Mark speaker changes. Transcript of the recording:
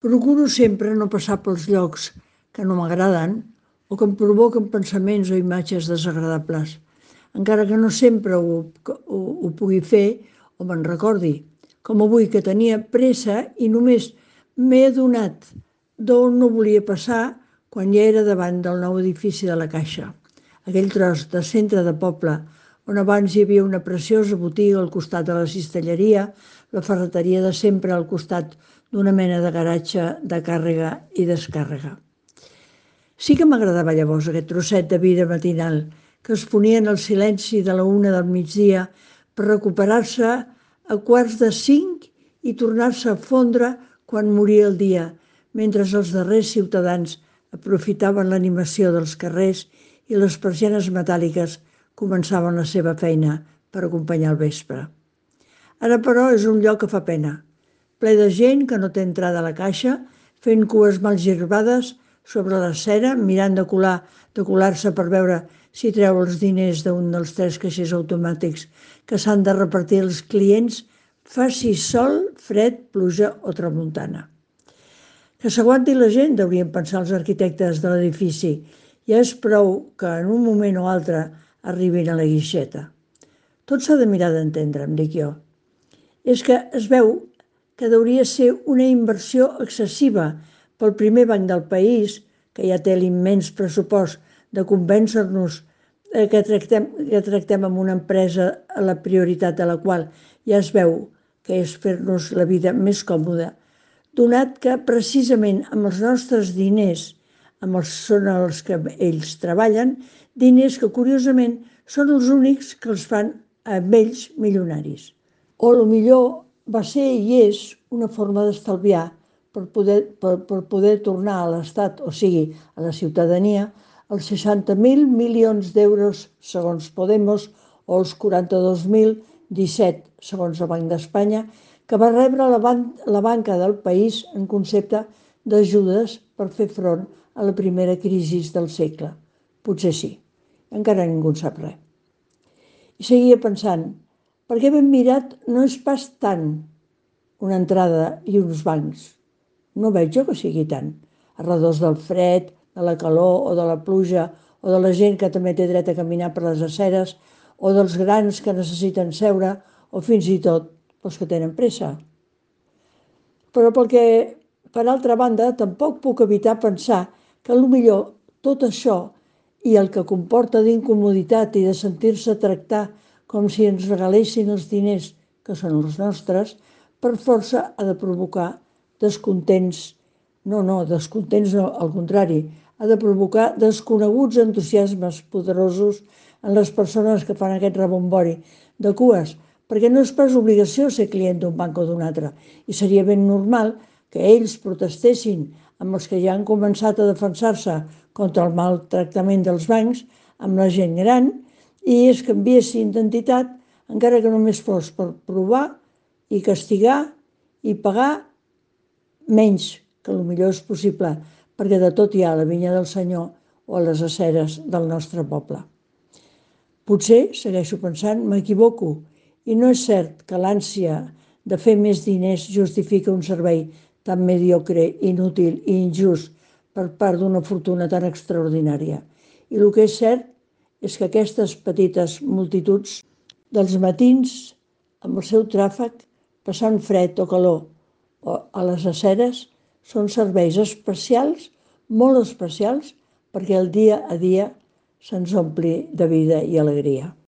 Speaker 1: Procuro sempre no passar pels llocs que no m'agraden o que em provoquen pensaments o imatges desagradables, encara que no sempre ho pugui fer o me'n recordi, com avui que tenia pressa i només m'he adonat d'on no volia passar quan ja era davant del nou edifici de la Caixa, aquell tros de centre de poble on abans hi havia una preciosa botiga al costat de la cistelleria, la ferreteria de sempre al costat d'una mena de garatge de càrrega i descàrrega. Sí que m'agradava llavors aquest trosset de vida matinal que es ponia en el silenci de la 1 del migdia per recuperar-se a 4:45 i tornar-se a fondre quan moria el dia, mentre els darrers ciutadans aprofitaven l'animació dels carrers i les persianes metàl·liques començaven la seva feina per acompanyar el vespre. Ara, però, és un lloc que fa pena, ple de gent que no té entrada a la Caixa, fent cues mal girbades sobre la cera, mirant de colar-se per veure si treu els diners d'un dels 3 caixers automàtics que s'han de repartir als clients, faci sol, fred, pluja o tramuntana. Que s'aguanti la gent, deurien pensar els arquitectes de l'edifici. Ja és prou que en un moment o altre arribin a la guixeta. Tot s'ha de mirar d'entendre, em dic jo. És que es veu que hauria de ser una inversió excessiva pel primer banc del país, que ja té l'immens pressupost de convèncer-nos que tractem amb una empresa a la prioritat de la qual ja es veu que és fer-nos la vida més còmoda, donat que precisament amb els nostres diners, són els que ells treballen, diners que curiosament són els únics que els fan a ells milionaris. O millor va ser i és una forma d'estalviar per poder tornar a l'Estat, o sigui, a la ciutadania, els 60.000 milions d'euros, segons Podemos, o els 42.017, segons el Banc d'Espanya, que va rebre la banca del país en concepte d'ajudes per fer front a la primera crisi del segle. Potser sí, encara ningú en sap res. I seguia pensant, perquè ben mirat no és pas tant una entrada i uns bancs. No veig jo que sigui tant. A redós del fred, de la calor o de la pluja, o de la gent que també té dret a caminar per les aceres, o dels grans que necessiten seure, o fins i tot els que tenen pressa. Però per altra banda, tampoc puc evitar pensar que potser tot això i el que comporta d'incomoditat i de sentir-se tractar com si ens regalessin els diners, que són els nostres, per força ha de provocar descontents. No, descontents no, al contrari, ha de provocar desconeguts entusiasmes poderosos en les persones que fan aquest rebombori de cues, perquè no és pas obligació ser client d'un banc o d'un altre, i seria ben normal que ells protestessin amb els que ja han començat a defensar-se contra el maltractament dels bancs, amb la gent gran, i es canviessin d'entitat, encara que només fos per provar i castigar i pagar menys, que potser és possible, perquè de tot hi ha a la vinya del Senyor o a les aceres del nostre poble. Potser, segueixo pensant, m'equivoco, i no és cert que l'ànsia de fer més diners justifica un servei tan mediocre, inútil i injust per part d'una fortuna tan extraordinària. I el que és cert és que aquestes petites multituds dels matins, amb el seu tràfic, passant fred o calor, o a les aceres, són serveis especials, molt especials, perquè el dia a dia se'ns ompli de vida i alegria.